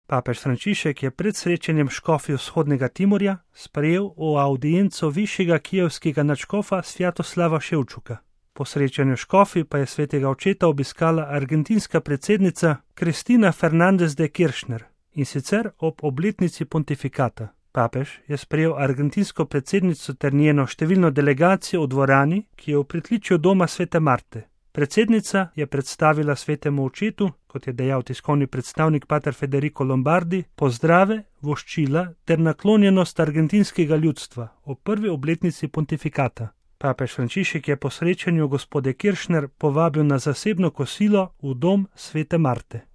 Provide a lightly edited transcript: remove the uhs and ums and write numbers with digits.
Papež Frančišek je pred srečanjem škofij vzhodnega Timorja sprejel v audienco višjega kijevskega nadškofa Svjatoslava Ševčuka. Po srečanju škofij pa je svetega očeta obiskala argentinska predsednica Cristina Fernández de Kirchner, in sicer ob obletnici pontifikata. Papež je sprejel argentinsko predsednico ter njeno številno delegacijo v dvorani, ki je v pritličju doma svete Marte. Predsednica je predstavila svetemu očetu, kot je dejal tiskovni predstavnik pater Federico Lombardi, pozdrave, voščila ter naklonjenost argentinskega ljudstva ob prvi obletnici pontifikata. Papež Frančišek je po srečanju gospode Kirchner povabil na zasebno kosilo v dom svete Marte.